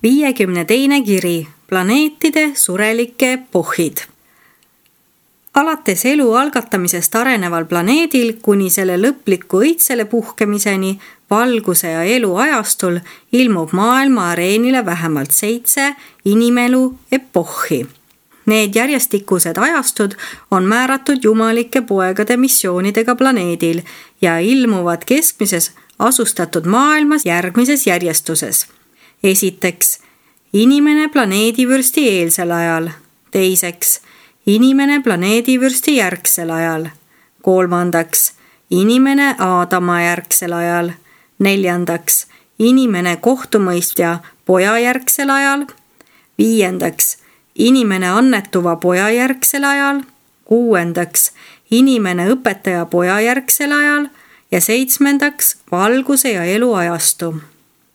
52. kiri. Planeetide surelike epohhid. Alates elu algatamisest areneval planeedil kuni selle lõpliku õitsele puhkemiseni valguse ja elu ajastul ilmub maailma areenile vähemalt 7 inimelu epohhi. Need järjestikused ajastud on määratud jumalike poegade missioonidega planeedil ja ilmuvad keskmises asustatud maailmas järgmises järjestuses. Esiteks, inimene planeedivürsti eelsel ajal. Teiseks, inimene planeedivürsti järgsel ajal. Kolmandaks, inimene Aadama järgsel ajal. Neljandaks, inimene kohtumõistja poja järgsel ajal. Viiendaks, inimene annetuva poja järgsel ajal. Kuuendaks, inimene õpetaja poja järgsel ajal. Ja 7. valguse ja elu ajastu.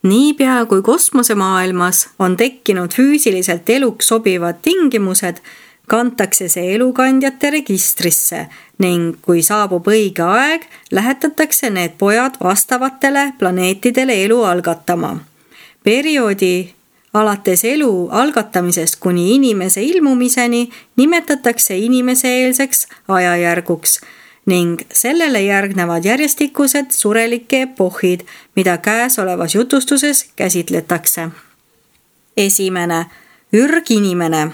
Niipea kui kosmosemaailmas on tekkinud füüsiliselt eluks sobivad tingimused, kantakse see elukandjate registrisse ning kui saabub õige aeg, lähetatakse need pojad vastavatele planeetidele elu algatama. Perioodi alates elu algatamisest kuni inimese ilmumiseni nimetatakse inimese-eelseks ajajärguks ning sellele järgnevad järjestikused surelike epohhid, mida käesolevas jutustuses käsitletakse. Esimene, ürginimene.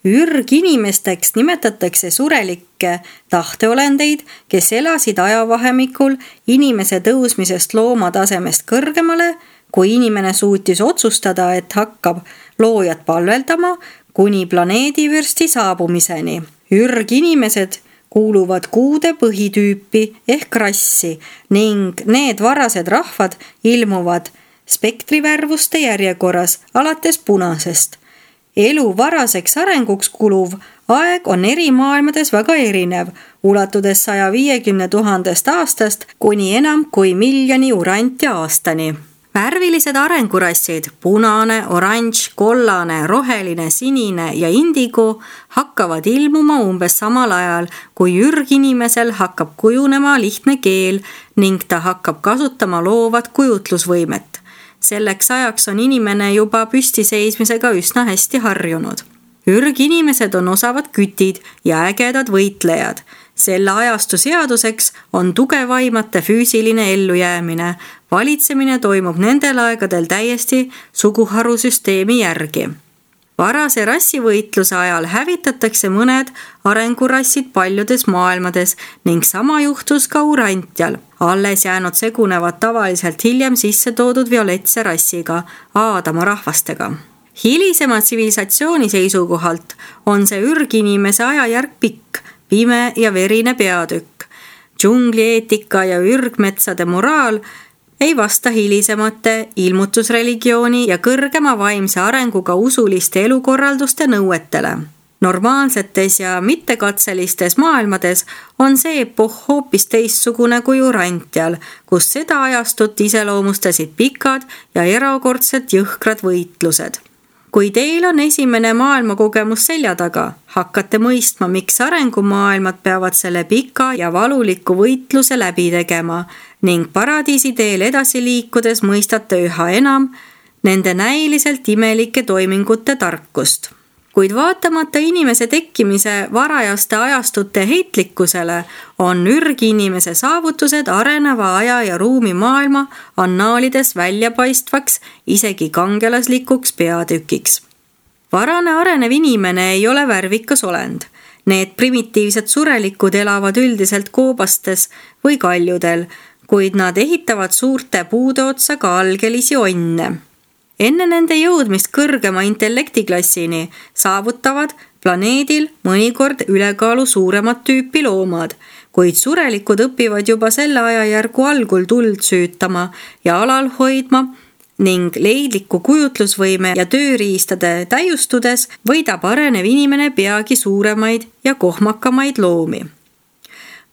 Ürginimesteks nimetatakse surelikke tahteolendeid, kes elasid ajavahemikul inimese tõusmisest loomatasemest kõrgemale, kui inimene suutis otsustada, et hakkab loojat palveldama kuni planeedivürsti saabumiseni. Ürginimesed kuuluvad kuude põhitüüpi ehk rassi ning need varased rahvad ilmuvad spektrivärvuste järjekorras alates punasest. Elu varaseks arenguks kuluv aeg on eri maailmades väga erinev, ulatudes 150 000 aastast kuni enam kui miljoni urantja aastani. Värvilised arengurassid, punane, oranž, kollane, roheline, sinine ja indigo hakkavad ilmuma umbes samal ajal, kui ürginimesel hakkab kujunema lihtne keel ning ta hakkab kasutama loovat kujutlusvõimet. Selleks ajaks on inimene juba püstiseismisega üsna hästi harjunud. Ürginimesed on osavad kütid ja ägedad võitlejad. Selle ajastu seaduseks on tugevaimate füüsiline ellujäämine. Valitsemine toimub nendel aegadel täiesti suguharusüsteemi järgi. Varase rassivõitluse ajal hävitatakse mõned arengurassid paljudes maailmades ning sama juhtus ka urantjal. Alles jäänud segunevad tavaliselt hiljem sisse toodud violetse rassiga, Aadama rahvastega. Hilisema tsivilisatsiooni seisukohalt on see ürginimese ajajärg pikk, pime ja verine peatükk. Džunglieetika ja ürgmetsade moraal ei vasta hilisemate ilmutusreligiooni ja kõrgema vaimse arenguga usuliste elukorralduste nõuetele. Normaalsetes ja mittekatselistes maailmades on see epohh hoopis teistsugune kui urantjal, kus seda ajastut iseloomustasid pikad ja erakordselt jõhkrad võitlused. Kui teil on esimene maailmakogemus selja taga, hakkate mõistma, miks arengumaailmad peavad selle pika ja valuliku võitluse läbi tegema ning paradiisi teel edasi liikudes mõistate üha enam nende näiliselt imelike toimingute tarkust. Kuid vaatamata inimese tekkimise varajaste ajastute heitlikkusele on ürginimese saavutused areneva aja ja ruumi maailma annaalides väljapaistvaks isegi kangelaslikuks peatükiks. Varane arenev inimene ei ole värvikas olend. Need primitiivsed surelikud elavad üldiselt koobastes või kaljudel, kuid nad ehitavad suurte puude otsa ka algelisi onne. Enne nende jõudmist kõrgema intellektiklassini saavutavad planeedil mõnikord ülekaalu suuremat tüüpi loomad, kuid surelikud õpivad juba selle ajajärgu algul tuld süütama ja alal hoidma ning leidliku kujutlusvõime ja tööriistade täiustudes võidab arenev inimene peagi suuremaid ja kohmakamaid loomi.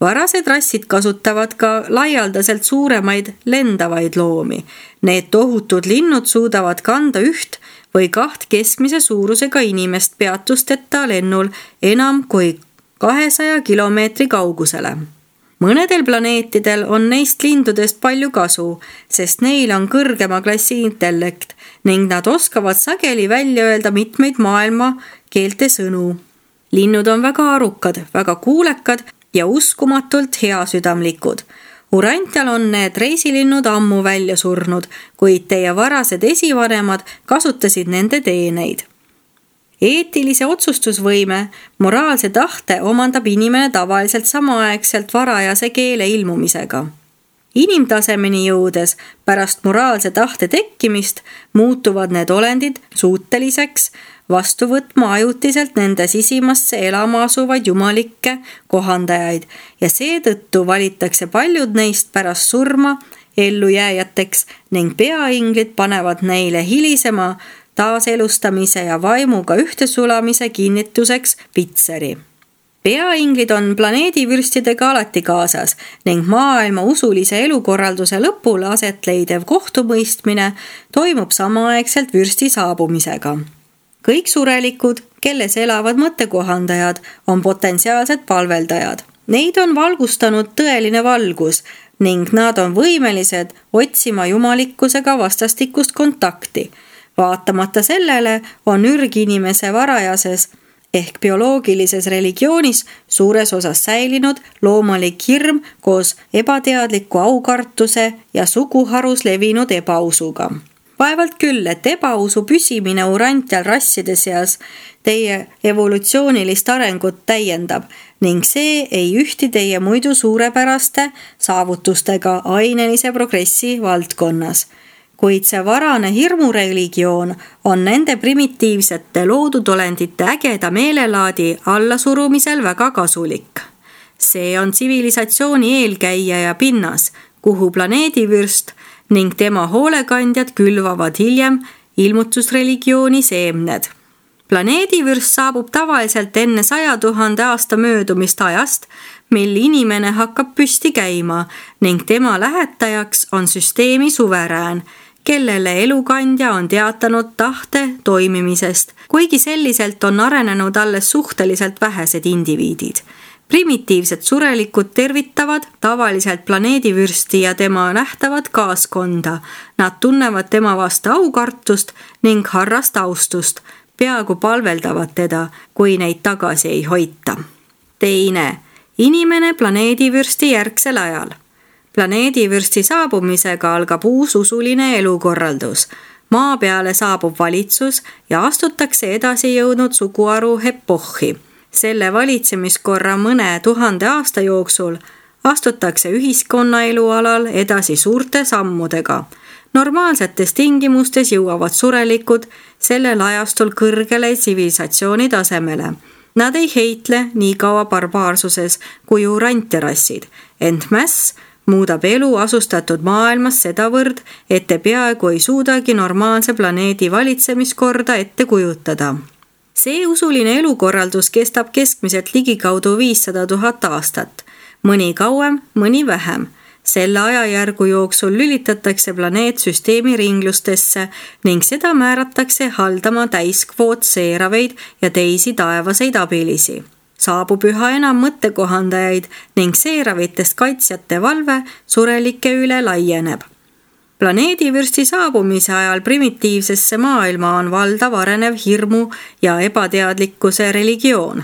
Varased rassid kasutavad ka laialdaselt suuremaid lendavaid loomi. Need tohutud linnud suudavad kanda 1 või 2 keskmise suurusega inimest peatusteta lennul enam kui 200 kilomeetri kaugusele. Mõnedel planeetidel on neist lindudest palju kasu, sest neil on kõrgema klassi intellekt ning nad oskavad sageli välja öelda mitmeid maailma keelte sõnu. Linnud on väga arukad, väga kuulekad ja uskumatult heasüdamlikud. Urantial on need reisilinnud ammu välja surnud, kuid teie varased esivanemad kasutasid nende teeneid. Eetilise otsustusvõime, moraalse tahte omandab inimene tavaliselt samaaegselt varajase keele ilmumisega. Inimtasemeni jõudes pärast moraalse tahte tekkimist muutuvad need olendid suuteliseks vastu võtma ajutiselt nende sisimasse elama asuvaid jumalikke kohandajaid ja seetõttu valitakse paljud neist pärast surma ellujääjateks ning peainglid panevad neile hilisema taaselustamise ja vaimuga ühtesulamise kinnituseks pitseri. Peainglid on planeedivürstidega alati kaasas ning maailma usulise elukorralduse lõpul aset leidev kohtumõistmine toimub samaaegselt vürsti saabumisega. Kõik surelikud, kelles elavad mõttekohandajad, on potentsiaalsed palveldajad. Neid on valgustanud tõeline valgus ning nad on võimelised otsima jumalikkusega vastastikust kontakti. Vaatamata sellele on ürginimese varajases ehk bioloogilises religioonis suures osas säilinud loomalik hirm koos ebateadliku aukartuse ja suguharus levinud ebausuga. Vaevalt küll, et ebausu püsimine urantial rasside seas teie evolutsioonilist arengut täiendab ning see ei ühti teie muidu suurepäraste saavutustega ainelise progressi valdkonnas. Kuid see varane hirmureligioon on nende primitiivsete loodudolendite ägeda meelelaadi allasurumisel väga kasulik. See on tsivilisatsiooni eelkäija ja pinnas, kuhu planeedivürst ning tema hoolekandjad külvavad hiljem ilmutusreligiooni seemned. Planeedivürst saabub tavaliselt enne 100 000 aasta möödumist ajast, mil inimene hakkab püsti käima ning tema lähetajaks on süsteemi suverään, kellele elukandja on teatanud tahte toimimisest, kuigi selliselt on arenenud alles suhteliselt vähesed indiviidid. Primitiivsed surelikud tervitavad tavaliselt planeedivürsti ja tema nähtavat kaaskonda. Nad tunnevad tema vastu aukartust ning harrast austust, peaaegu palveldavad teda, kui neid tagasi ei hoita. Teine, inimene planeedivürsti järgsel ajal. Planeedivürsti saabumisega algab uus usuline elukorraldus. Maa peale saabub valitsus ja astutakse edasi jõudnud suguharu epohhi. Selle valitsemiskorra mõne 1000 aasta jooksul astutakse ühiskonnaelu alal edasi suurte sammudega. Normaalsetes tingimustes jõuavad surelikud sellel ajastul kõrgele tsivilisatsiooni tasemele. Nad ei heitle nii kaua barbaarsuses kui urantirassid, ent mäss muudab elu asustatud maailmas sedavõrd, et te peaaegu ei suudagi normaalse planeedi valitsemiskorda ette kujutada. See usuline elukorraldus kestab keskmiselt ligikaudu 500 000 aastat, mõni kauem, mõni vähem. Selle ajajärgu jooksul lülitatakse planeet süsteemi ringlustesse ning seda määratakse haldama täiskvoot seeraveid ja teisi taevaseid abilisi. Saabub üha enam mõttekohandajaid ning seeravitest kaitsjate valve surelike üle laieneb. Planeedivürsti saabumise ajal primitiivsesse maailma on valdav arenev hirmu ja ebateadlikkuse religioon.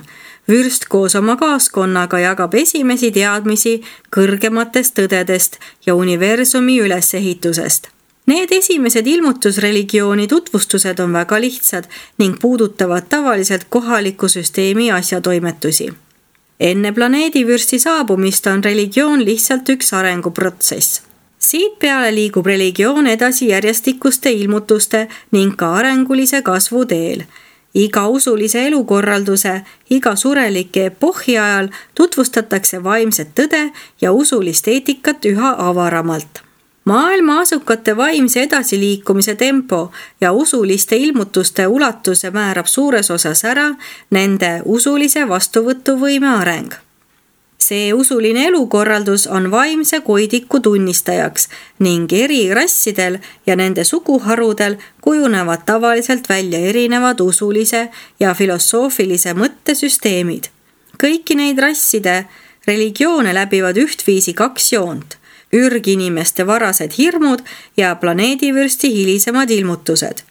Vürst koos oma kaaskonnaga jagab esimesi teadmisi kõrgematest tõdedest ja universumi ülesehitusest. Need esimesed ilmutusreligiooni tutvustused on väga lihtsad ning puudutavad tavaliselt kohaliku süsteemi asjatoimetusi. Enne planeedivürsti saabumist on religioon lihtsalt üks arenguprotsess. Siit peale liigub religioon edasi järjestikuste ilmutuste ning ka arengulise kasvu teel. Iga usulise elukorralduse, iga surelike epohhi ajal tutvustatakse vaimset tõde ja usulist eetikat üha avaramalt. Maailma asukate vaimse edasiliikumise tempo ja usuliste ilmutuste ulatuse määrab suures osas ära nende usulise vastuvõtuvõime areng. See usuline elukorraldus on vaimse koidiku tunnistajaks ning eri rassidel ja nende suguharudel kujunevad tavaliselt välja erinevad usulise ja filosoofilise mõttesüsteemid. Kõiki neid rasside Religioone läbivad ühtviisi 2 joont: ürginimeste varased hirmud ja planeedivürsti hilisemad ilmutused.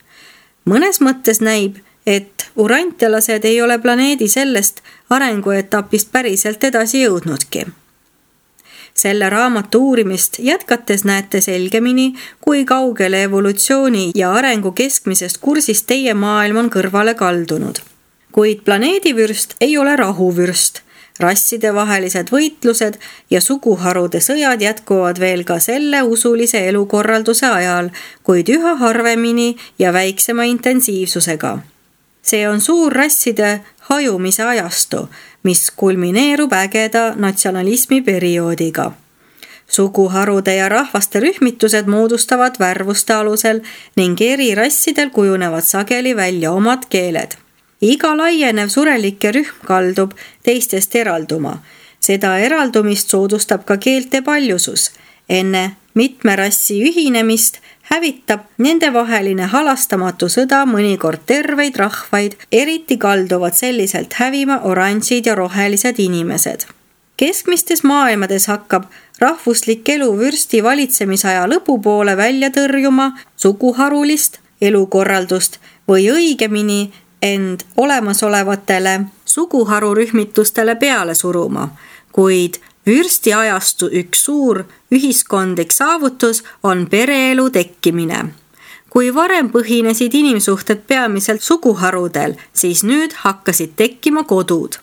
Mõnes mõttes näib, et urantialased ei ole planeedi sellest arenguetapist päriselt edasi jõudnudki. Selle raamatu uurimist jätkates näete selgemini, kui kaugele evolutsiooni ja arengu keskmisest kursist teie maailm on kõrvale kaldunud. Kuid planeedivürst ei ole rahuvürst. Rassidevahelised võitlused ja suguharude sõjad jätkuvad veel ka selle usulise elukorralduse ajal, kuid üha harvemini ja väiksema intensiivsusega. See on suur rasside hajumise ajastu, mis kulmineerub ägeda natsionalismi perioodiga. Suguharude ja rahvaste rühmitused moodustavad värvuste alusel ning eri rassidel kujunevad sageli välja omad keeled. Iga laienev surelike rühm kaldub teistest eralduma. Seda eraldumist soodustab ka keelte paljusus. Enne mitme rassi ühinemist hävitab nendevaheline halastamatu sõda mõnikord terveid rahvaid, eriti kalduvad selliselt hävima oranžid ja rohelised inimesed. Keskmistes maailmades hakkab rahvuslik elu vürsti valitsemisaja lõpupoole välja tõrjuma suguharulist elukorraldust või õigemini end olemasolevatele suguharurühmitustele peale suruma, kuid vürsti ajastu üks suur ühiskondlik saavutus on pereelu tekkimine. Kui varem põhinesid inimsuhted peamiselt suguharudel, siis nüüd hakkasid tekkima kodud.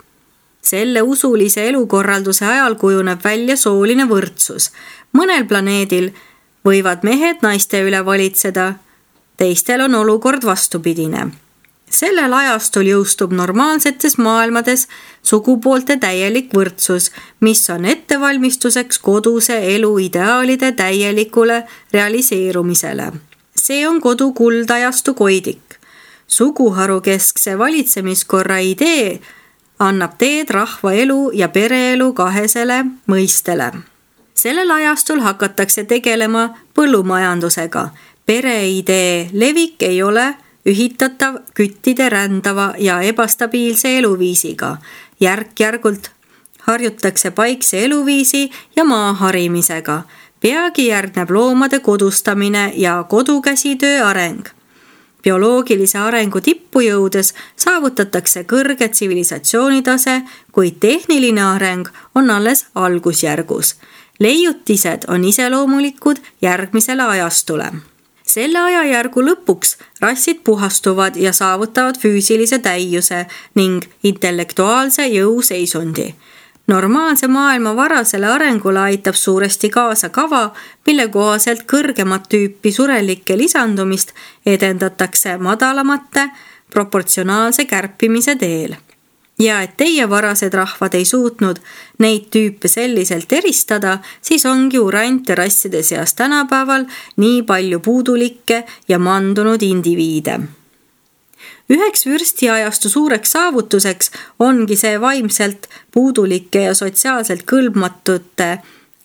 Selle usulise elukorralduse ajal kujuneb välja sooline võrdsus. Mõnel planeedil võivad mehed naiste üle valitseda, teistel on olukord vastupidine. Sellel ajastul jõustub normaalsetes maailmades sugupoolte täielik võrdsus, mis on ettevalmistuseks koduse elu ideaalide täielikule realiseerumisele. See on kodu kuldajastu koidik. Suguharu keskse valitsemiskorra idee annab teed rahvaelu ja pereelu kahesele mõistele. Sellel ajastul hakatakse tegelema põllumajandusega. Pereidee levik ei ole ühitatav küttide rändava ja ebastabiilse eluviisiga. Järk-järgult harjutakse paikse eluviisi ja maaharimisega. Peagi järgneb loomade kodustamine ja kodukäsitöö areng. Bioloogilise arengu tippu jõudes saavutatakse kõrge tsivilisatsioonitase, kuid tehniline areng on alles algusjärgus. Leiutised on iseloomulikud järgmisele ajastule. Selle ajajärgu lõpuks rassid puhastuvad ja saavutavad füüsilise täiuse ning intellektuaalse jõuseisundi. Normaalse maailma varasele arengule aitab suuresti kaasa kava, mille kohaselt kõrgemat tüüpi surelike lisandumist edendatakse madalamate proportsionaalse kärpimise teel. Ja et teie varased rahvad ei suutnud neid tüüpe selliselt eristada, siis ongi urante rasside seas tänapäeval nii palju puudulikke ja mandunud indiviide. Üheks vürstiajastu suureks saavutuseks ongi see vaimselt puudulike ja sotsiaalselt kõlbmatute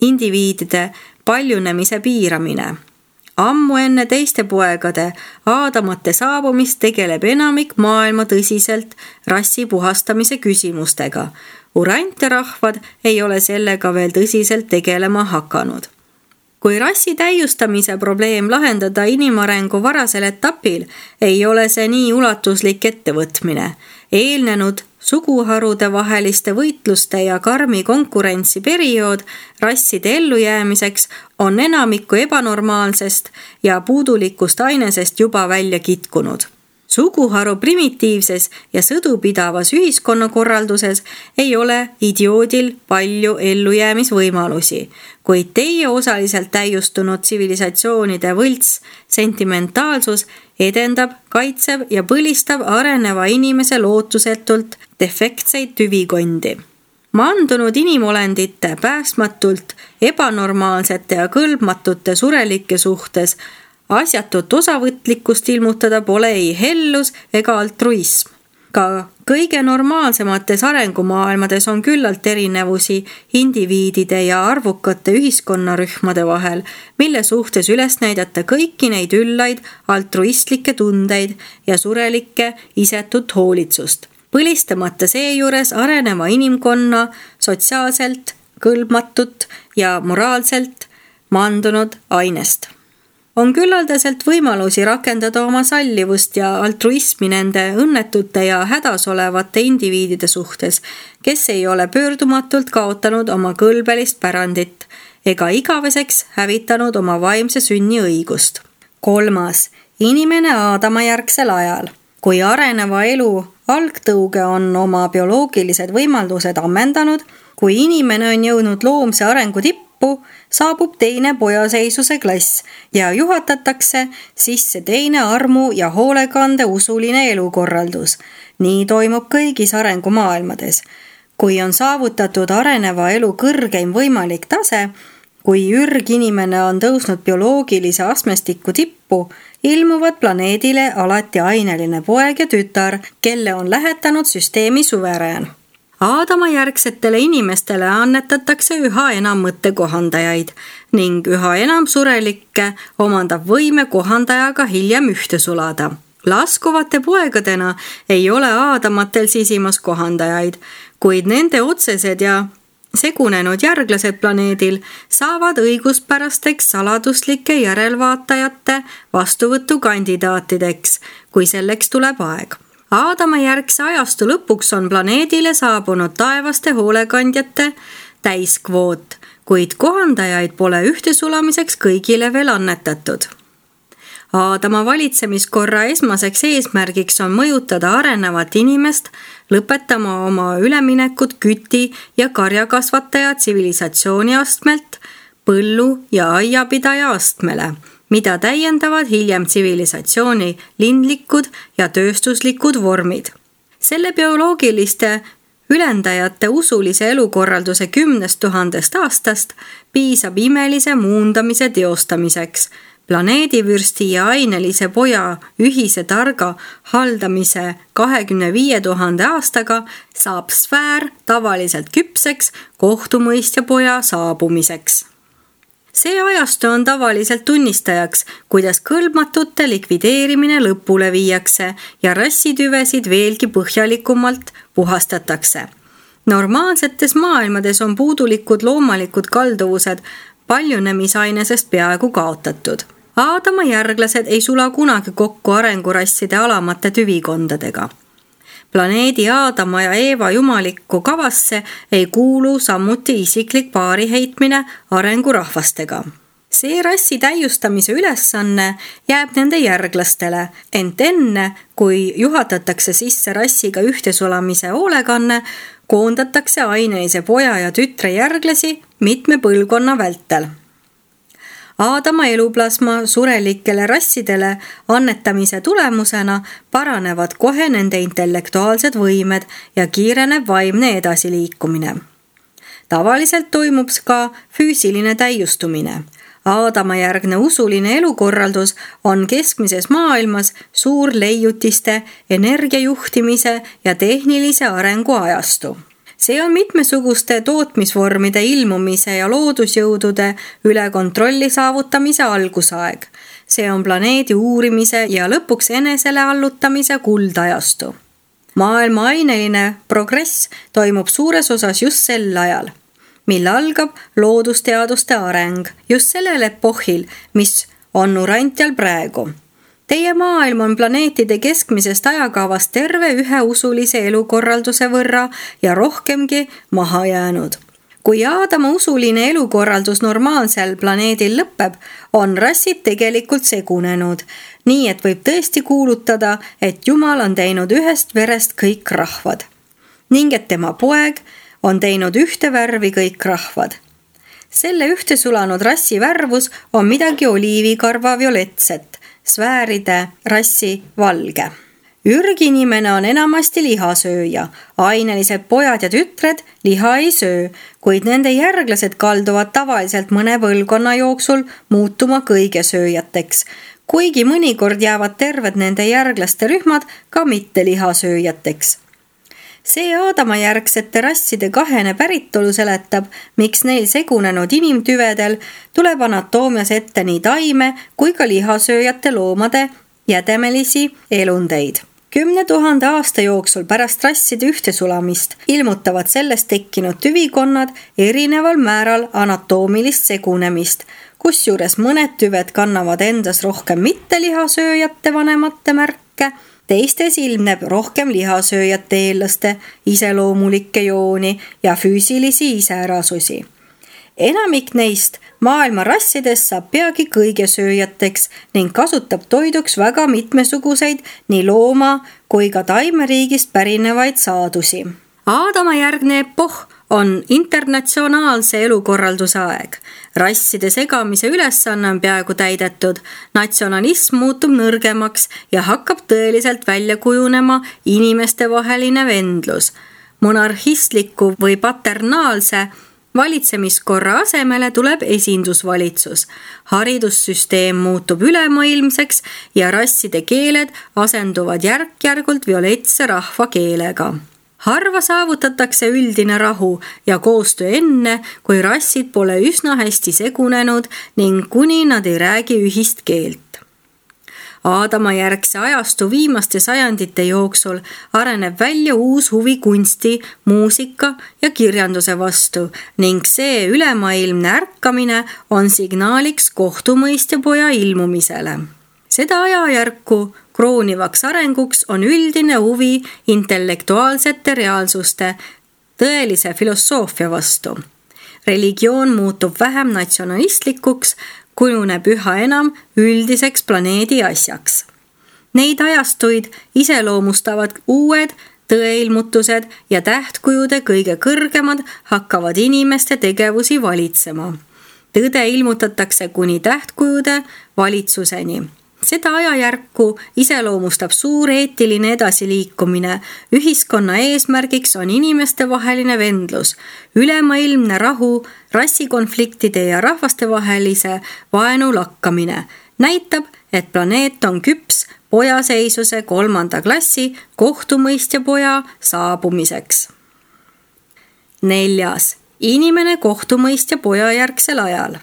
indiviidide paljunemise piiramine. Ammu enne teiste poegade aadamate saabumist tegeleb enamik maailma tõsiselt rassi puhastamise küsimustega. Urante rahvad ei ole sellega veel tõsiselt tegelema hakanud. Kui rassi täiustamise probleem lahendada inimarengu varasel etapil, ei ole see nii ulatuslik ettevõtmine. Eelnenud suguharude vaheliste võitluste ja karmi konkurentsi periood rasside ellujäämiseks on enamikku ebanormaalsest ja puudulikust ainesest juba välja kitkunud. Suguharu primitiivses ja sõdupidavas ühiskonnakorralduses ei ole idioodil palju ellujäämisvõimalusi, kuid teie osaliselt täiustunud tsivilisatsioonide võlts sentimentaalsus edendab, kaitseb ja põlistab areneva inimese lootusetult defektseid tüvikondi. Mandunud inimolendite päästmatult ebanormaalsete ja kõlbmatute surelike suhtes asjatut osavõtlikkust ilmutada pole ei hellus ega altruism. Ka kõige normaalsemates arengumaailmades on küllalt erinevusi indiviidide ja arvukate ühiskonnarühmade vahel, mille suhtes üles näidata kõiki neid üllaid altruistlikke tundeid ja surelikke isetut hoolitsust. Põlistamata seejuures areneva inimkonna sotsiaalselt kõlbmatut ja moraalselt mandunud ainest. On küllaldaselt võimalusi rakendada oma sallivust ja altruismi nende õnnetute ja hädas olevate indiviidide suhtes, kes ei ole pöördumatult kaotanud oma kõlbelist pärandit ega igaveseks hävitanud oma vaimse sünni õigust. 3. Inimene Aadama järgsel ajal. Kui areneva elu algtõuge on oma bioloogilised võimalused ammendanud, kui inimene on jõudnud loomse arengu tippu, saabub teine pojaseisuse klass ja juhatatakse sisse teine armu ja hoolekande usuline elukorraldus. Nii toimub kõigis arengumaailmades. Kui on saavutatud areneva elu kõrgeim võimalik tase, kui ürginimene on tõusnud bioloogilise astmestiku tippu, ilmuvad planeedile alati aineline poeg ja tütar, kelle on lähetanud süsteemi suverään. Aadama järgsetele inimestele annetatakse üha enam mõttekohandajaid ning üha enam surelikke omandab võime kohandajaga hiljem ühte sulada. Laskuvate poegadena ei ole Aadamatel sisimas kohandajaid, kuid nende otsesed ja segunenud järglased planeedil saavad õiguspärasteks saladuslike järelvaatajate vastuvõtukandidaatideks, kui selleks tuleb aeg. Aadama järgse ajastu lõpuks on planeedile saabunud taevaste hoolekandjate täiskvoot, kuid kohandajaid pole ühte sulamiseks kõigile veel annetatud. Aadama valitsemiskorra esmaseks eesmärgiks on mõjutada arenevat inimest, lõpetama oma üleminekut küti ja karjakasvataja tsivilisatsiooni astmelt põllu- ja aiapidaja astmele, mida täiendavad hiljem tsivilisatsiooni lindlikud ja tööstuslikud vormid. Selle bioloogiliste ülendajate usulise elukorralduse 10 000 aastast piisab imelise muundamise teostamiseks. Planeedivürsti ja ainelise poja ühise targa haldamise 25 000 aastaga saab sfäär tavaliselt küpseks kohtumõistja poja saabumiseks. See ajastu on tavaliselt tunnistajaks, kuidas kõlbmatute likvideerimine lõpule viiakse ja rassitüvesid veelgi põhjalikumalt puhastatakse. Normaalsetes maailmades on puudulikud loomalikud kalduvused paljunemisainesest peaaegu kaotatud. Aadama järglased ei sula kunagi kokku arengurasside alamate tüvikondadega. Planeedi Aadama ja Eeva jumalikku kavasse ei kuulu samuti isiklik paariheitmine arengurahvastega. See rassi täiustamise ülesanne jääb nende järglastele, ent enne, kui juhatatakse sisse rassiga ühtesulamise hoolekanne, koondatakse ainelise poja ja tütre järglasi mitme põlvkonna vältel. Aadama eluplasma surelikele rassidele annetamise tulemusena paranevad kohe nende intellektuaalsed võimed ja kiireneb vaimne edasiliikumine. Tavaliselt toimub ka füüsiline täiustumine. Aadama järgne usuline elukorraldus on keskmises maailmas suur leiutiste, energiajuhtimise ja tehnilise arengu ajastu. See on mitmesuguste tootmisvormide ilmumise ja loodusjõudude üle kontrolli saavutamise algusaeg. See on planeedi uurimise ja lõpuks enesele allutamise kuldajastu. Maailma aineline progress toimub suures osas just sel ajal, mil algab loodusteaduste areng, just sellel epohhil, mis on Urantial praegu. Teie maailm on planeetide keskmisest ajakavast terve ühe usulise elukorralduse võrra ja rohkemgi maha jäänud. Kui Aadama usuline elukorraldus normaalsel planeedil lõpeb, on rassid tegelikult segunenud, nii et võib tõesti kuulutada, et Jumal on teinud ühest verest kõik rahvad ning et tema poeg on teinud ühte värvi kõik rahvad. Selle ühte sulanud rassi värvus on midagi oliivikarva violetset, sfääride rassi valge. Ürginimene on enamasti lihasööja, ainelised pojad ja tütred liha ei söö, kuid nende järglased kalduvad tavaliselt mõne põlvkonna jooksul muutuma kõigesööjateks, kuigi mõnikord jäävad terved nende järglaste rühmad ka mitte lihasööjateks. See Aadama järgsete rasside kahene päritolu seletab, miks neil segunenud inimtüvedel tuleb anatoomias ette nii taime kui ka lihasööjate loomade jädemelisi elundeid. 10 000 aasta jooksul pärast rasside ühtesulamist ilmutavad sellest tekkinud tüvikonnad erineval määral anatoomilist segunemist, kusjuures mõned tüved kannavad endas rohkem mittelihasööjate vanemate märke, teistes ilmneb rohkem lihasööjate eelaste iseloomulikke jooni ja füüsilisi iseärasusi. Enamik neist maailma rassidest saab peagi kõigesööjateks ning kasutab toiduks väga mitmesuguseid nii looma- kui ka taimeriigist pärinevaid saadusi. Aadama järgne epohh on internatsionaalse elukorralduse aeg. Rasside segamise ülesanne on peaaegu täidetud, natsionalism muutub nõrgemaks ja hakkab tõeliselt välja kujunema inimestevaheline vendlus. Monarhistliku või paternaalse valitsemiskorra asemele tuleb esindusvalitsus. Haridussüsteem muutub ülemaailmseks ja rasside keeled asenduvad järk-järgult violetse rahvakeelega. Harva saavutatakse üldine rahu ja koostöö enne, kui rassid pole üsna hästi segunenud ning kuni nad ei räägi ühist keelt. Aadama järgse ajastu viimaste sajandite jooksul areneb välja uus huvi kunsti, muusika ja kirjanduse vastu ning see ülemaailmne ärkamine on signaaliks kohtumõistjapoja ilmumisele. Seda ajajärku kroonivaks arenguks on üldine huvi intellektuaalsete reaalsuste, tõelise filosoofia vastu. Religioon muutub vähem natsionalistlikuks, kujuneb üha enam üldiseks planeedi asjaks. Neid ajastuid iseloomustavad uued tõeilmutused ja tähtkujude kõige kõrgemad hakkavad inimeste tegevusi valitsema. Tõde ilmutatakse kuni tähtkujude valitsuseni. Seda ajajärku iseloomustab suur eetiline edasiliikumine. Ühiskonna eesmärgiks on inimestevaheline vendlus, ülemaailmne rahu, rassikonfliktide ja rahvastevahelise vaenu lakkamine. Näitab, et planeet on küps pojaseisuse 3. klassi kohtumõistjapoja saabumiseks. 4. Inimene kohtumõistjapoja järgsel ajal.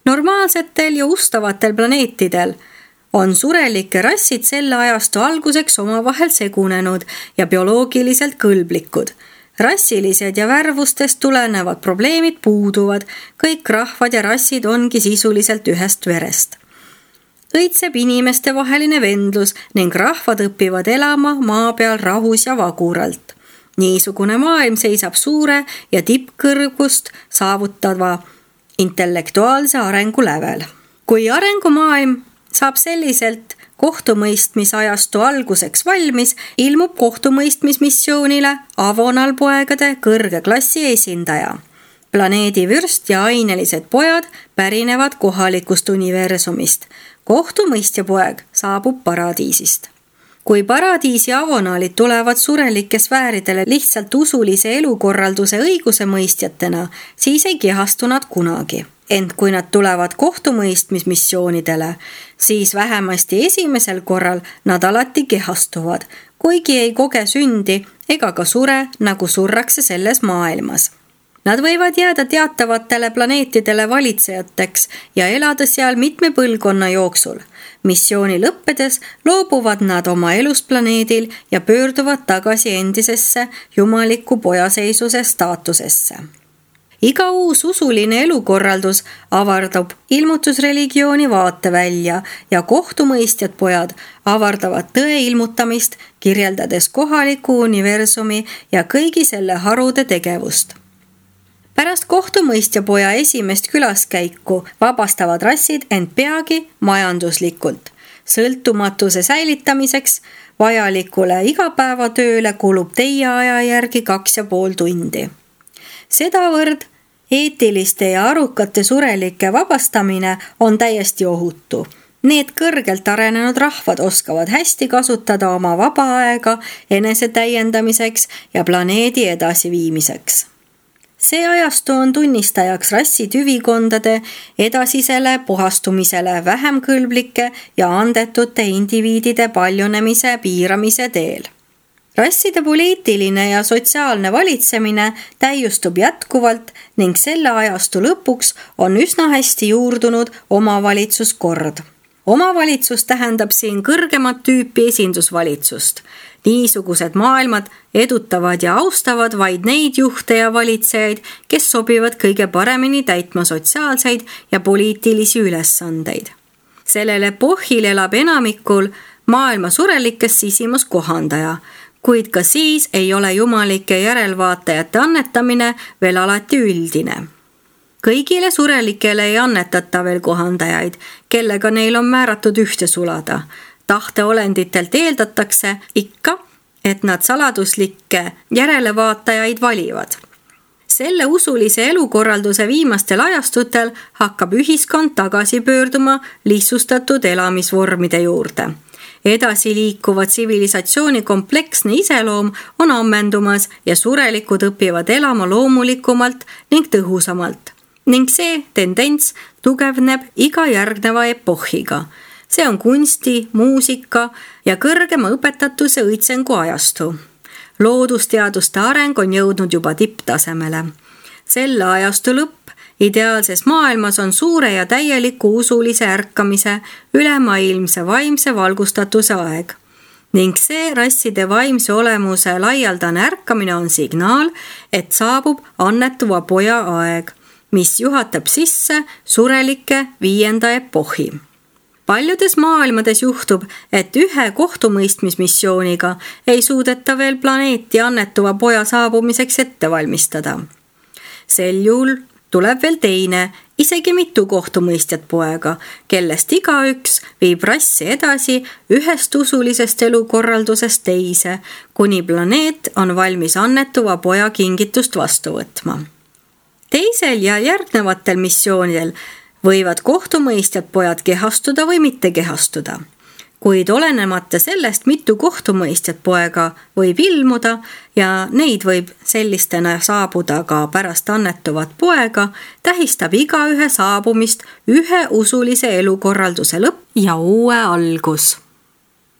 Normaalsetel ja ustavatel planeetidel on surelike rassid selle ajastu alguseks omavahel segunenud ja bioloogiliselt kõlblikud. Rassilised ja värvustest tulenevad probleemid puuduvad, kõik rahvad ja rassid ongi sisuliselt ühest verest. Õitseb inimeste vaheline vendlus ning rahvad õpivad elama maa peal rahus ja vaguralt. Niisugune maailm seisab suure ja tippkõrgust saavutava intellektuaalse arengu lävel. Kui arengumaailm saab selliselt kohtumõistmisajastu alguseks valmis, ilmub kohtumõistmismissioonile avonalpoegade kõrge klassi esindaja. Planeedi vürst ja ainelised pojad pärinevad kohalikust universumist. Kohtumõistjapoeg saabub paradiisist. Kui paradiisi avonaalid tulevad surelike sfääridele lihtsalt usulise elukorralduse õigusemõistjatena, siis ei kehastu nad kunagi. Ent kui nad tulevad kohtumõistmismissioonidele, siis vähemasti esimesel korral nad alati kehastuvad, kuigi ei koge sündi ega ka sure, nagu surrakse selles maailmas. Nad võivad jääda teatavatele planeetidele valitsejateks ja elada seal mitme põlvkonna jooksul. Missiooni lõppedes loobuvad nad oma elust planeedil ja pöörduvad tagasi endisesse jumaliku pojaseisuse staatusesse. Iga uus usuline elukorraldus avardab ilmutusreligiooni vaatevälja ja kohtumõistjad pojad avardavad tõe ilmutamist, kirjeldades kohaliku universumi ja kõigi selle harude tegevust. Pärast kohtumõistjapoja esimest külaskäiku vabastavad rassid end peagi majanduslikult. Sõltumatuse säilitamiseks vajalikule igapäevatööle kulub teie aja järgi 2,5 tundi. Sedavõrd eetiliste ja arukate surelike vabastamine on täiesti ohutu. Need kõrgelt arenenud rahvad oskavad hästi kasutada oma vaba aega enesetäiendamiseks ja planeedi edasiviimiseks. See ajastu on tunnistajaks rassitüvikondade edasisele puhastumisele vähem kõlblike ja andetute indiviidide paljunemise piiramise teel. Rasside poliitiline ja sotsiaalne valitsemine täiustub jätkuvalt ning selle ajastu lõpuks on üsna hästi juurdunud omavalitsuskord. Omavalitsus tähendab siin kõrgemat tüüpi esindusvalitsust. Niisugused maailmad edutavad ja austavad vaid neid juhte ja valitsejaid, kes sobivad kõige paremini täitma sotsiaalseid ja poliitilisi ülesandeid. Sellel epohhil elab enamikul maailma surelikes sisimus kohandaja, kuid ka siis ei ole jumalike järelvaatajate annetamine veel alati üldine. Kõigile surelikele ei annetata veel kohandajaid, kellega neil on määratud ühte sulada. Tahteolenditelt eeldatakse ikka, et nad saladuslikke järelevaatajaid valivad. Selle usulise elukorralduse viimastel ajastutel hakkab ühiskond tagasi pöörduma lihtsustatud elamisvormide juurde. Edasi liikuva tsivilisatsiooni kompleksne iseloom on ammendumas ja surelikud õpivad elama loomulikumalt ning tõhusamalt. Ning see tendents tugevneb iga järgneva epohhiga. See on kunsti, muusika ja kõrgema õpetatuse õitsengu ajastu. Loodusteaduste areng on jõudnud juba tipptasemele. Selle ajastu lõpp ideaalses maailmas on suure ja täieliku usulise ärkamise ülemaailmse vaimse valgustatuse aeg. Ning see rasside vaimse olemuse laialdane ärkamine on signaal, et saabub annetuva poja aeg, mis juhatab sisse surelike 5. epohhi. Paljudes maailmades juhtub, et ühe kohtumõistmismissiooniga ei suudeta veel planeeti annetuva poja saabumiseks ette valmistada. Sel juhul tuleb veel teine, isegi mitu kohtumõistjat poega, kellest igaüks viib rassi edasi ühest usulisest elukorraldusest teise, kuni planeet on valmis annetuva poja kingitust vastu võtma. Teisel ja järgnevatel missioonidel võivad kohtumõistjad pojad kehastuda või mitte kehastuda. Kuid olenemata sellest, mitu kohtumõistjat poega võib ilmuda ja neid võib sellistena saabuda ka pärast annetuvat poega, tähistab igaühe saabumist ühe usulise elukorralduse lõpp ja uue algus.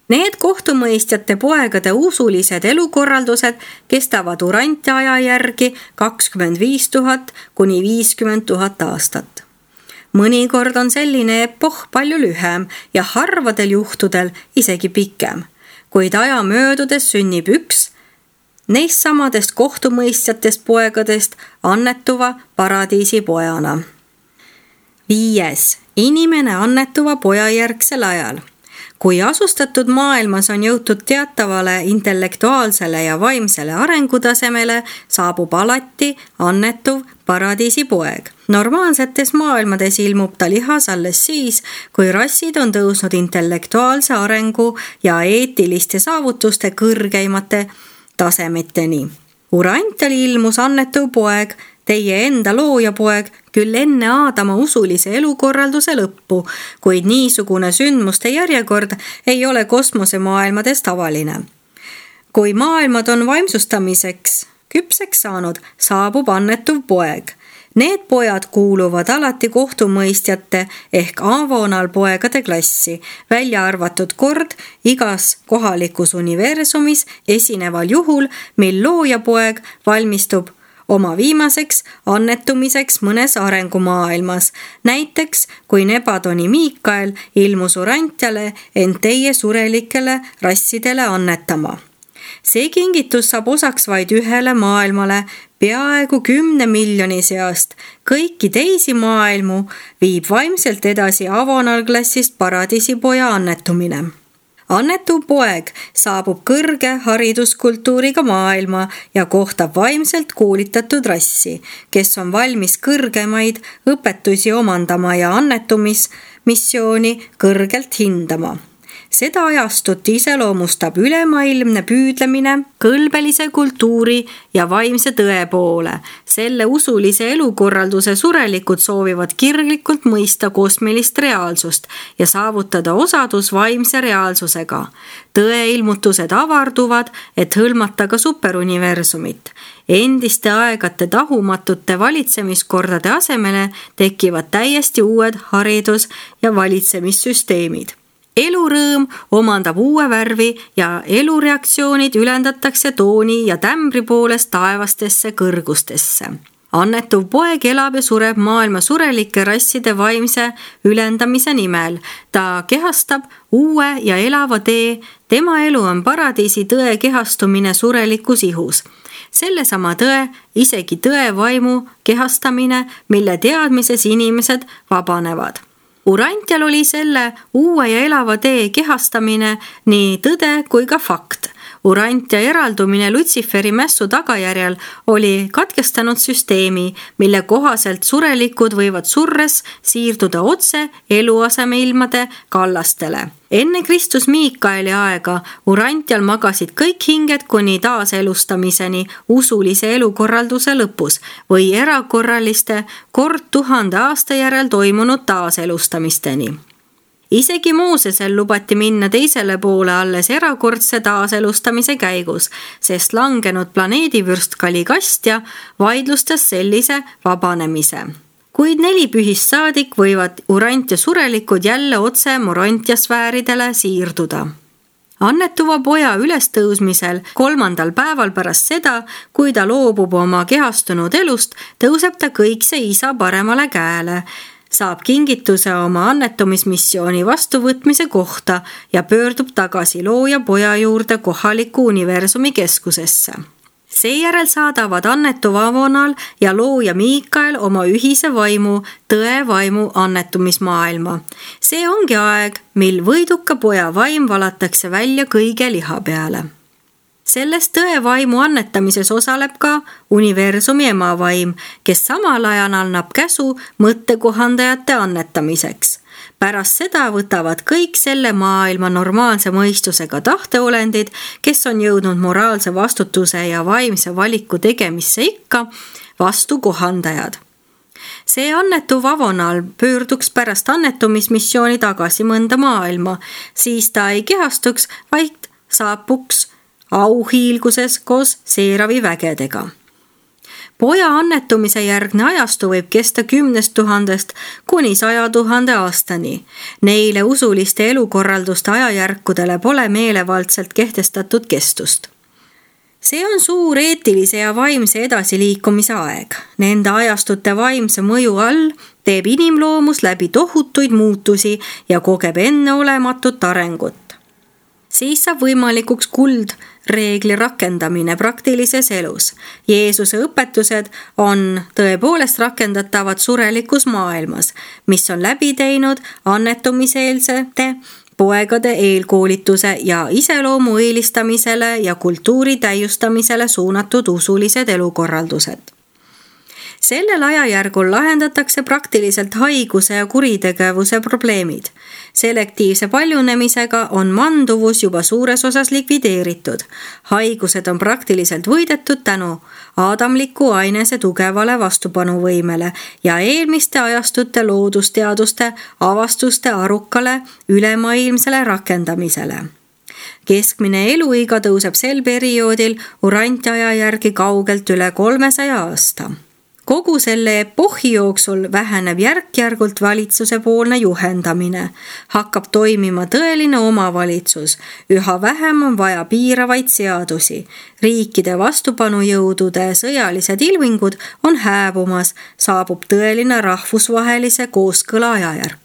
Need kohtumõistjate poegade usulised elukorraldused kestavad urantiaja järgi 25 000 kuni 50 000 aastat. Mõnikord on selline epohh palju lühem ja harvadel juhtudel isegi pikem, kuid aja möödudes sünnib üks neist samadest kohtumõistjatest poegadest annetuva paradiisi pojana. 5. Inimene annetuva poja järgsel ajal. Kui asustatud maailmas on jõutud teatavale intellektuaalsele ja vaimsele arengutasemele, saabub alati annetuv paradiisi poeg. Normaalsetes maailmades ilmub ta lihas alles siis, kui rassid on tõusnud intellektuaalse arengu ja eetiliste saavutuste kõrgeimate tasemeteni. Urantial ilmus annetuv poeg, teie enda looja poeg, küll enne Aadama usulise elukorralduse lõppu, kuid niisugune sündmuste järjekord ei ole kosmosemaailmades tavaline. Kui maailmad on vaimsustamiseks küpseks saanud, saabub annetuv poeg. Need pojad kuuluvad alati kohtumõistjate ehk avonalpoegade klassi, välja arvatud kord igas kohalikus universumis esineval juhul, mil loojapoeg valmistub oma viimaseks annetumiseks mõnes arengumaailmas. Näiteks, kui Nebadoni Miikael ilmus urantiale end teie surelikele rassidele annetama. See kingitus saab osaks vaid ühele maailmale peaaegu 10 miljoni seast. Kõiki teisi maailmu viib vaimselt edasi avonalklassist paradiisipoja annetumine. Annetuv poeg saabub kõrge hariduskultuuriga maailma ja kohtab vaimselt koolitatud rassi, kes on valmis kõrgemaid õpetusi omandama ja annetumismissiooni kõrgelt hindama. Seda ajastut iseloomustab ülemaailmne püüdlemine kõlbelise kultuuri ja vaimse tõe poole. Selle usulise elukorralduse surelikud soovivad kirglikult mõista kosmilist reaalsust ja saavutada osadus vaimse reaalsusega. Tõeilmutused avarduvad, et hõlmata ka superuniversumit. Endiste aegade tahumatute valitsemiskordade asemele tekivad täiesti uued haridus- ja valitsemissüsteemid. Elurõõm omandab uue värvi ja elureaktsioonid ülendatakse tooni ja tämbri poolest taevastesse kõrgustesse. Annetuv poeg elab ja sureb maailma surelike rasside vaimse ülendamise nimel. Ta kehastab uue ja elava tee. Tema elu on paradiisi tõe kehastumine surelikus ihus. Sellesama tõe, isegi tõe vaimu kehastamine, mille teadmises inimesed vabanevad. Urantial oli selle uue ja elava tee kehastamine nii tõde kui ka fakt. Urantia eraldumine Lutsiferi mässu tagajärjel oli katkestanud süsteemi, mille kohaselt surelikud võivad surres siirduda otse eluasemeilmade kallastele. Enne Kristus Miikaeli aega Urantial magasid kõik hinged kuni taaselustamiseni usulise elukorralduse lõpus või erakorraliste kord 1000 aasta järel toimunud taaselustamisteni. Isegi Moosesel lubati minna teisele poole alles erakordse taaselustamise käigus, sest langenud planeedivürst Kaligastja vaidlustas sellise vabanemise. Kuid 4 pühist saadik võivad Urantia surelikud jälle otse Morontia sfääridele siirduda. Annetuva poja ülestõusmisel 3. päeval pärast seda, kui ta loobub oma kehastunud elust, tõuseb ta kõikse isa paremale käele, saab kingituse oma annetumismissiooni vastuvõtmise kohta ja pöördub tagasi looja poja juurde kohaliku universumi keskusesse. Seejärel saadavad annetuv Avonal ja looja Miikael oma ühise vaimu, tõe vaimu annetumismaailma. See ongi aeg, mil võiduka poja vaim valatakse välja kõige liha peale. Selles tõe vaimu annetamises osaleb ka universumi emavaim, kes samal ajal annab käsu mõttekohandajate annetamiseks. Pärast seda võtavad kõik selle maailma normaalse mõistusega tahteolendid, kes on jõudnud moraalse vastutuse ja vaimse valiku tegemisse ikka, vastu kohandajad. See annetuv Avonal pöörduks pärast annetumismissiooni tagasi mõnda maailma, siis ta ei kehastuks, vaid saabuks auhiilguses koos Seeravi vägedega. Poja annetumise järgne ajastu võib kesta 10 000 kuni 100 000 aastani. Neile usuliste elukorralduste ajajärkudele pole meelevaldselt kehtestatud kestust. See on suur eetilise ja vaimse edasiliikumise aeg. Nende ajastute vaimse mõju all teeb inimloomus läbi tohutuid muutusi ja kogeb enneolematut arengut. Siis saab võimalikuks kuldreegli rakendamine praktilises elus. Jeesuse õpetused on tõepoolest rakendatavad surelikus maailmas, mis on läbi teinud annetumiseelsete poegade eelkoolituse ja iseloomu eelistamisele ja kultuuri täiustamisele suunatud usulised elukorraldused. Sellel ajajärgul lahendatakse praktiliselt haiguse ja kuritegevuse probleemid. Selektiivse paljunemisega on manduvus juba suures osas likvideeritud. Haigused on praktiliselt võidetud tänu aadamliku ainese tugevale vastupanuvõimele ja eelmiste ajastute loodusteaduste avastuste arukale ülemaailmsele rakendamisele. Keskmine eluiga tõuseb sel perioodil Urantia järgi kaugelt üle 300 aasta. Kogu selle epohhi jooksul väheneb järk-järgult valitsuse poolne juhendamine. Hakkab toimima tõeline omavalitsus. Üha vähem on vaja piiravaid seadusi. Riikide vastupanujõudude sõjalised ilmingud on hääbumas. Saabub tõeline rahvusvahelise kooskõla ajajärk.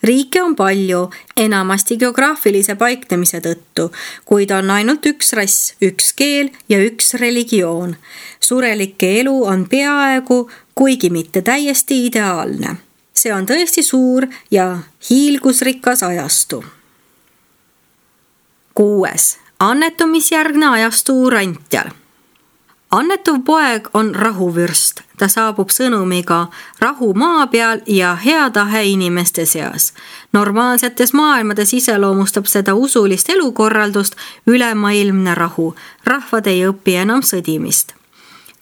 Riike on palju, enamasti geograafilise paiknemise tõttu, kuid on ainult üks rass, üks keel ja üks religioon. Surelike elu on peaaegu, kuigi mitte täiesti ideaalne. See on tõesti suur ja hiilgusrikas ajastu. 6. Annetumisjärgne ajastu Urantial. Annetuv poeg on rahuvürst. Ta saabub sõnumiga rahu maa peal ja hea tahe inimeste seas. Normaalsetes maailmades iseloomustab seda usulist elukorraldust ülemaailmne rahu. Rahvad ei õpi enam sõdimist.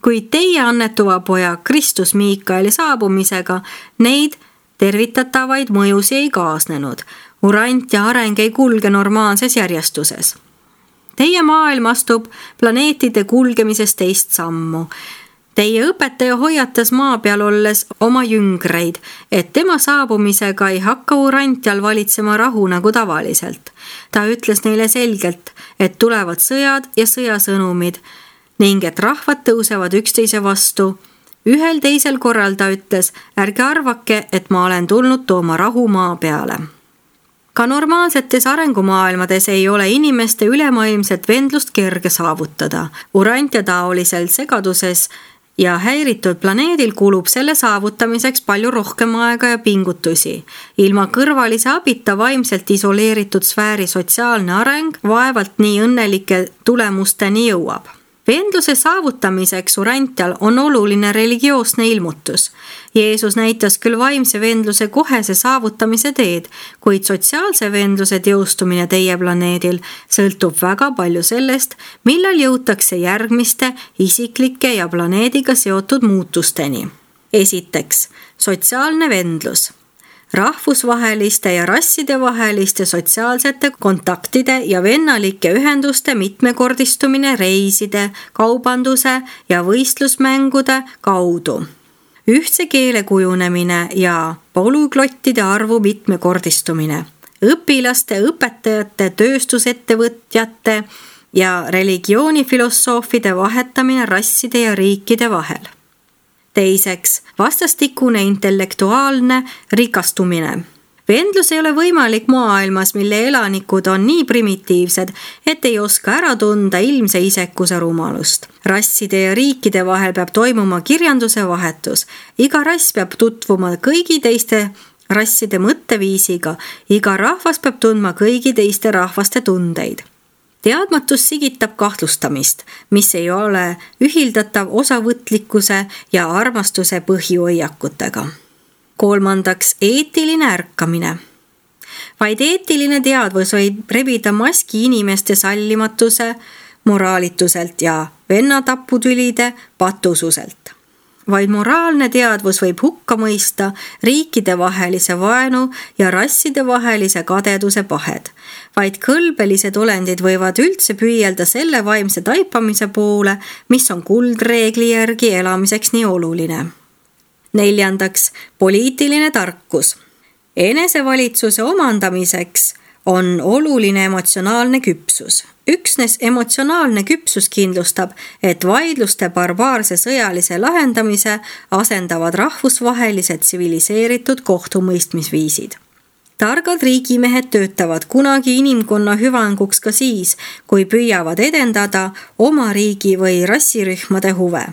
Kuid teie annetuva poja Kristus Miikaeli saabumisega neid tervitatavaid mõjusi ei kaasnenud. Urantia areng ei kulge normaalses järjestuses. Teie maailm astub planeetide kulgemises teist sammu. Teie õpetaja hoiatas maa peal olles oma jüngreid, et tema saabumisega ei hakka Urantial valitsema rahu nagu tavaliselt. Ta ütles neile selgelt, et tulevad sõjad ja sõjasõnumid ning et rahvad tõusevad üksteise vastu Ühel teisel korral ta ütles, ärge arvake, et ma olen tulnud tooma rahu maa peale. Ka normaalsetes arengumaailmades ei ole inimeste ülemaailmset vendlust kerge saavutada. Urantia taolisel segaduses ja häiritud planeedil kulub selle saavutamiseks palju rohkem aega ja pingutusi. Ilma kõrvalise abita vaimselt isoleeritud sfääri sotsiaalne areng vaevalt nii õnnelike tulemusteni jõuab. Vendluse saavutamiseks Urantial on oluline religioosne ilmutus. Jeesus näitas küll vaimse vendluse kohese saavutamise teed, kuid sotsiaalse vendluse teostumine teie planeedil sõltub väga palju sellest, millal jõutakse järgmiste isiklike ja planeediga seotud muutusteni. Esiteks, sotsiaalne vendlus. Rahvusvaheliste ja rassidevaheliste sotsiaalsete kontaktide ja vennalike ühenduste mitmekordistumine reiside, kaubanduse ja võistlusmängude kaudu. Ühtse keele kujunemine ja polüklottide arvu mitmekordistumine. Õpilaste, õpetajate, tööstusettevõtjate ja religioonifilosoofide vahetamine rasside ja riikide vahel. Teiseks, vastastikune intellektuaalne rikastumine. Vendlus ei ole võimalik maailmas, mille elanikud on nii primitiivsed, et ei oska ära tunda ilmse isekuse rumalust. Rasside ja riikide vahel peab toimuma kirjanduse vahetus. Iga rass peab tutvuma kõigi teiste rasside mõtteviisiga. Iga rahvas peab tundma kõigi teiste rahvaste tundeid. Teadmatus sigitab kahtlustamist, mis ei ole ühildatav osavõtlikkuse ja armastuse põhihoiakutega. Kolmandaks, eetiline ärkamine. Vaid eetiline teadvus võib rebida maski inimeste sallimatuse, moraalituselt ja vennataputülide patususelt. Vaid moraalne teadvus võib hukka mõista riikide vahelise vaenu ja rasside vahelise kadeduse pahed. Vaid kõlbelised olendid võivad üldse püüelda selle vaimse taipamise poole, mis on kuldreegli järgi elamiseks nii oluline. Neljandaks, poliitiline tarkus. Enesevalitsuse omandamiseks on oluline emotsionaalne küpsus. Üksnes emotsionaalne küpsus kindlustab, et vaidluste barbaarse sõjalise lahendamise asendavad rahvusvahelised tsiviliseeritud kohtumõistmisviisid. Targad riigimehed töötavad kunagi inimkonna hüvanguks ka siis, kui püüavad edendada oma riigi või rassirühmade huve.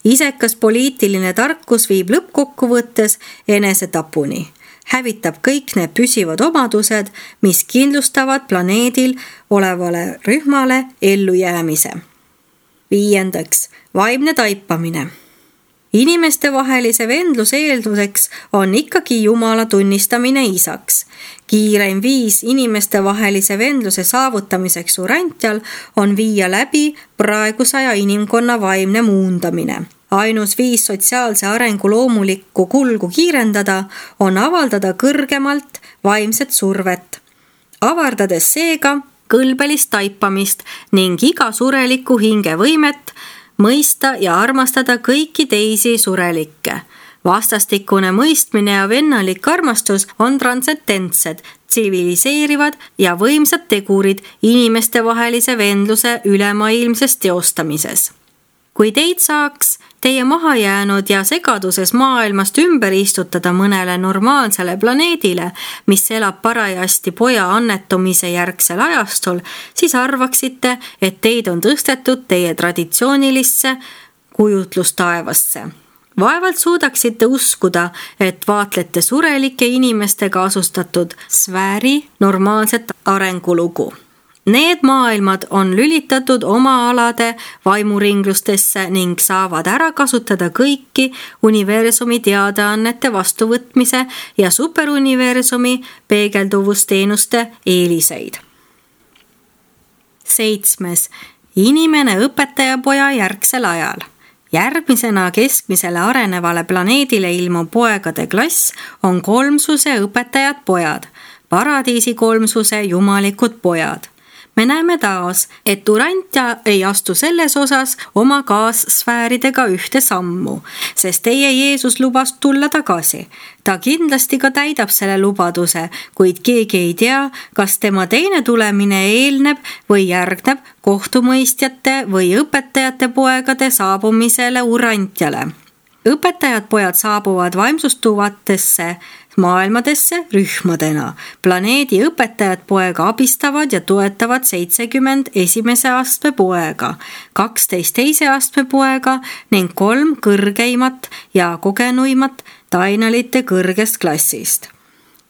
Isekas poliitiline tarkus viib lõppkokkuvõttes enesetapuni. Hävitab kõik need püsivad omadused, mis kindlustavad planeedil olevale rühmale ellujäämise. Viiendaks, vaimne taipamine. Inimeste vahelise vendluse eelduseks on ikkagi Jumala tunnistamine isaks. Kiireim viis inimeste vahelise vendluse saavutamiseks Urantial on viia läbi praegusaja inimkonna vaimne muundamine. Ainus viis sotsiaalse arengu loomulikku kulgu kiirendada on avaldada kõrgemalt vaimset survet, avardades seega kõlbelist taipamist ning iga sureliku hinge võimet mõista ja armastada kõiki teisi surelikke. Vastastikune mõistmine ja vennalik armastus on transcendentsed, tsiviliseerivad ja võimsad tegurid inimeste vahelise vendluse ülemaailmses teostamises. Kui teid saaks teie mahajäänud ja segaduses maailmast ümber istutada mõnele normaalsele planeedile, mis elab parajasti poja annetumise järgsel ajastul, siis arvaksite, et teid on tõstetud teie traditsioonilisse kujutlustaevasse. Vaevalt suudaksite uskuda, et vaatlete surelike inimestega asustatud sfääri normaalset arengulugu. Need maailmad on lülitatud oma alade vaimuringlustesse ning saavad ära kasutada kõiki universumi teadaannete vastuvõtmise ja superuniversumi peegelduvusteenuste eeliseid. 7. Inimene õpetajapoja järgsel ajal. Järgmisena keskmisele arenevale planeedile ilmuv poegade klass on kolmsuse õpetajad pojad, paradiisi kolmsuse jumalikud pojad. Me näeme taas, et Urantia ei astu selles osas oma kaassfääridega ühte sammu, sest teie Jeesus lubas tulla tagasi. Ta kindlasti ka täidab selle lubaduse, kuid keegi ei tea, kas tema teine tulemine eelneb või järgneb kohtumõistjate või õpetajate poegade saabumisele Urantiale. Õpetajad pojad saabuvad vaimsustuvatesse maailmadesse rühmadena. Planeedi õpetajad poega abistavad ja toetavad 70 esimese astme poega, 12 teise astme poega ning 3 kõrgeimat ja kogenuimat tainalite kõrgest klassist.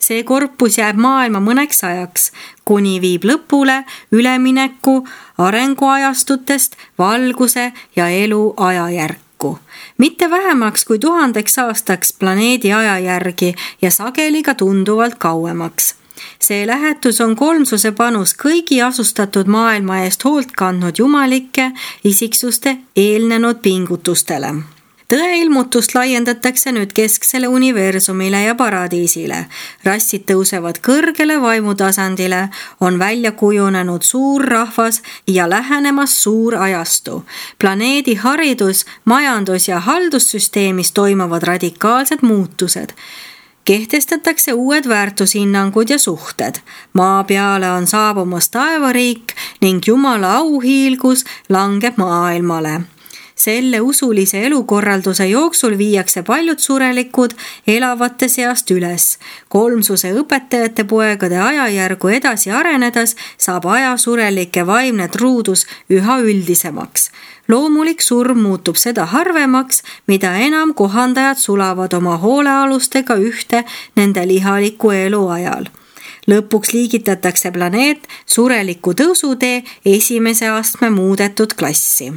See korpus jääb maailma mõneks ajaks, kuni viib lõpule ülemineku arenguajastutest valguse ja elu ajajärku. Mitte vähemaks kui 1000 aastaks planeedi aja järgi ja sageli ka tunduvalt kauemaks. See lähetus on kolmsuse panus kõigi asustatud maailma eest hoolt kandnud jumalike isiksuste eelnenud pingutustele. Tõeilmutust laiendatakse nüüd kesksele universumile ja paradiisile. Rassid tõusevad kõrgele vaimutasandile, on välja kujunenud suur rahvas ja lähenemas suur ajastu. Planeedi haridus, majandus ja haldussüsteemis toimuvad radikaalsed muutused. Kehtestatakse uued väärtushinnangud ja suhted. Maa peale on saabumas taevariik ning Jumala auhiilgus langeb maailmale. Selle usulise elukorralduse jooksul viiakse paljud surelikud elavate seast üles. Kolmsuse õpetajate poegade ajajärgu edasi arenedes saab ajasurelike vaimne truudus üha üldisemaks. Loomulik surm muutub seda harvemaks, mida enam kohandajad sulavad oma hoolealustega ühte nende lihaliku elu ajal. Lõpuks liigitatakse planeet sureliku tõusutee esimese astme muudetud klassi.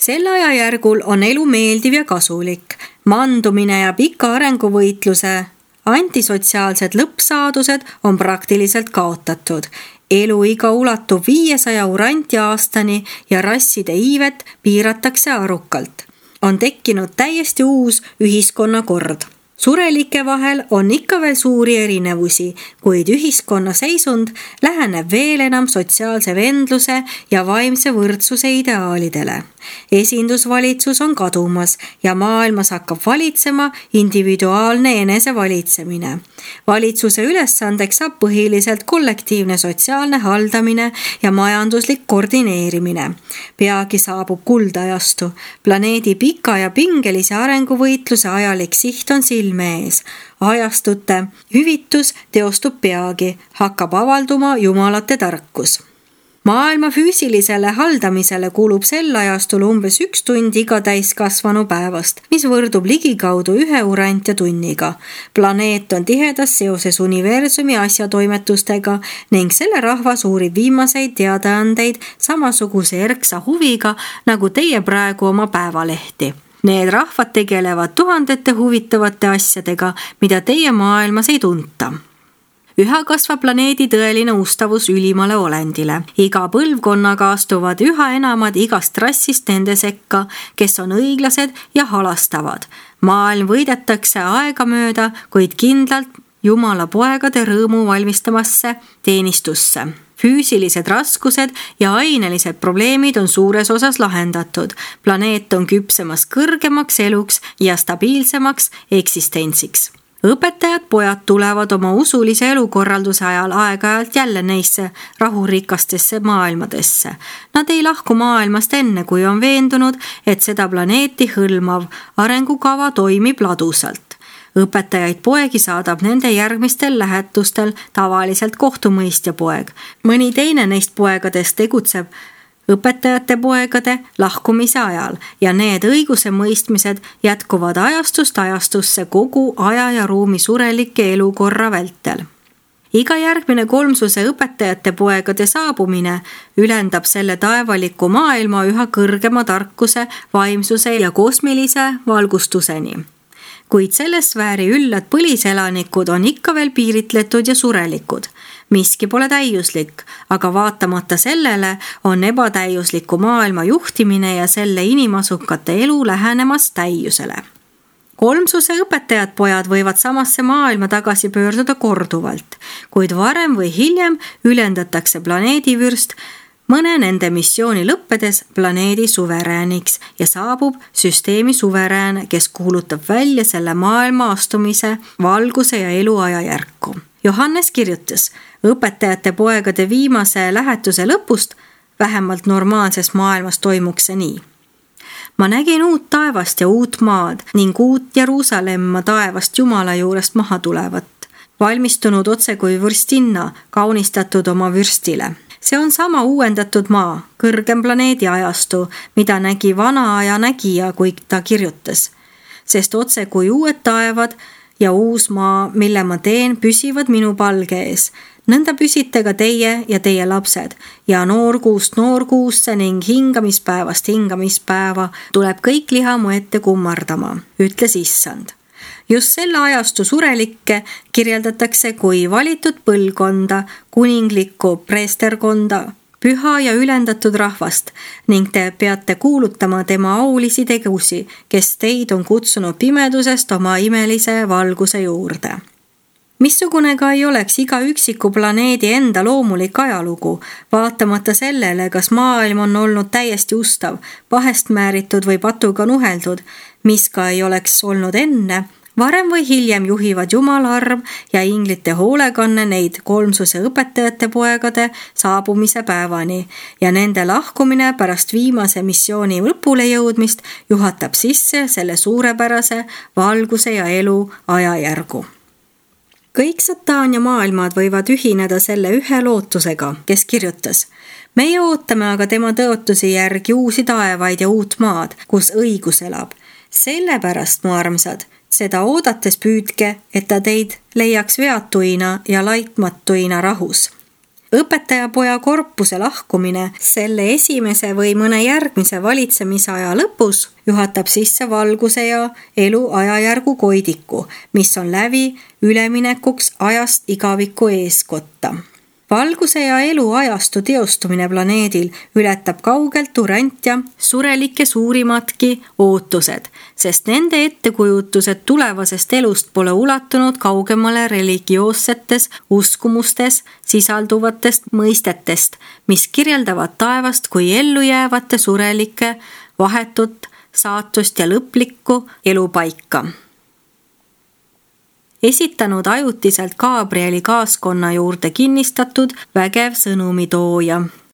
Sel ajajärgul on elu meeldiv ja kasulik. Mandumine ja pika arenguvõitluse antisotsiaalsed lõppsaadused on praktiliselt kaotatud. Eluiga ulatub 500 uranti aastani ja rasside iivet piiratakse arukalt. On tekkinud täiesti uus ühiskonnakord. Surelike vahel on ikka veel suuri erinevusi, kuid ühiskonna seisund läheneb veel enam sotsiaalse vendluse ja vaimse võrdsuse ideaalidele. Esindusvalitsus on kadumas ja maailmas hakkab valitsema individuaalne enesevalitsemine. Valitsuse ülesandeks saab põhiliselt kollektiivne sotsiaalne haldamine ja majanduslik koordineerimine. Peagi saabub kuldajastu. Planeedi pika ja pingelise arenguvõitluse ajalik siht on silme ees. Ajastute hüvitus teostub peagi, hakkab avalduma jumalate tarkus. Maailma füüsilisele haldamisele kulub sel ajastul umbes 1 tund iga täiskasvanu päevast, mis võrdub ligikaudu 1 urantja tunniga. Planeet on tihedas seoses universumi asjatoimetustega ning selle rahvas uurib viimaseid teadaandeid samasuguse erksa huviga, nagu teie praegu oma päevalehti. Need rahvad tegelevad tuhandete huvitavate asjadega, mida teie maailmas ei tunta. Üha kasvab planeedi tõeline ustavus ülimale olendile. Iga põlvkonnaga astuvad üha enamad igast rassist nende sekka, kes on õiglased ja halastavad. Maailm võidetakse aegamööda, kuid kindlalt Jumala poegade rõõmu valmistamasse teenistusse. Füüsilised raskused ja ainelised probleemid on suures osas lahendatud. Planeet on küpsemas kõrgemaks eluks ja stabiilsemaks eksistentsiks. Õpetajad pojad tulevad oma usulise elukorralduse ajal aeg-ajalt jälle neisse rahurikastesse maailmadesse. Nad ei lahku maailmast enne, kui on veendunud, et seda planeeti hõlmav arengukava toimib ladusalt. Õpetajaid poegi saadab nende järgmistel lähetustel tavaliselt kohtumõistja poeg. Mõni teine neist poegadest tegutseb õpetajate poegade lahkumise ajal ja need õiguse mõistmised jätkuvad ajastust ajastusse kogu aja ja ruumi surelike elukorra vältel. Iga järgmine kolmsuse õpetajate poegade saabumine ülendab selle taevaliku maailma üha kõrgema tarkuse, vaimsuse ja kosmilise valgustuseni. Kuid selle sfääri üllad põliselanikud on ikka veel piiritletud ja surelikud. Miski pole täiuslik, aga vaatamata sellele on ebatäiusliku maailma juhtimine ja selle inimasukate elu lähenemas täiusele. Kolmsuse õpetajad pojad võivad samasse maailma tagasi pöörduda korduvalt, kuid varem või hiljem ülendatakse planeedivürst mõne nende missiooni lõppedes planeedi suverääniks ja saabub süsteemi suverään, kes kuulutab välja selle maailma astumise, valguse ja elu ajajärku. Johannes kirjutas, õpetajate poegade viimase lähetuse lõpust vähemalt normaalses maailmas toimuks see nii. Ma nägin uut taevast ja uut maad ning uut Jeruusalemma taevast Jumala juurest maha tulevat, valmistunud otse kui vürstinna, kaunistatud oma vürstile. See on sama uuendatud maa, kõrgem planeedi ajastu, mida nägi vana aja nägija, kui ta kirjutas. Sest otse kui uued taevad ja uus maa, mille ma teen, püsivad minu palge ees. Nõnda püsite ka teie ja teie lapsed ja noorkuust noorkuusse ning hingamispäevast hingamispäeva tuleb kõik liha mu ette kummardama, ütles Issand. Just selle ajastu surelikke kirjeldatakse kui valitud põlvkonda, kuninglikku preesterkonda, püha ja ülendatud rahvast ning te peate kuulutama tema aulisi tegusi, kes teid on kutsunud pimedusest oma imelise valguse juurde. Missugune ka ei oleks iga üksiku planeedi enda loomulik ajalugu, vaatamata sellele, kas maailm on olnud täiesti ustav, vahest määritud või patuga nuheldud, mis ka ei oleks olnud enne, varem või hiljem juhivad Jumala arm ja inglite hoolekanne neid kolmsuse õpetajate poegade saabumise päevani ja nende lahkumine pärast viimase missiooni lõpule jõudmist juhatab sisse selle suurepärase valguse ja elu ajajärgu. Kõik sataan ja maailmad võivad ühineda selle ühe lootusega, kes kirjutas. Meie ootame aga tema tõotusi järgi uusi taevaid ja uut maad, kus õigus elab. Sellepärast, mu armsad, seda oodates püüdke, et ta teid leiaks veatuina ja laitmatuina rahus. Õpetajapoja korpuse lahkumine selle esimese või mõne järgmise valitsemisaja lõpus juhatab sisse valguse ja elu ajajärgu koidiku, mis on lävi üleminekuks ajast igaviku eeskotta. Valguse ja elu ajastu teostumine planeedil ületab kaugelt urantja surelike suurimatki ootused, sest nende ettekujutused tulevasest elust pole ulatunud kaugemale religioossetes uskumustes sisalduvatest mõistetest, mis kirjeldavad taevast kui ellujäävate surelike vahetut saatust ja lõplikku elupaika. Esitanud ajutiselt Gabrieli kaaskonna juurde kinnistatud vägev sõnumitooja.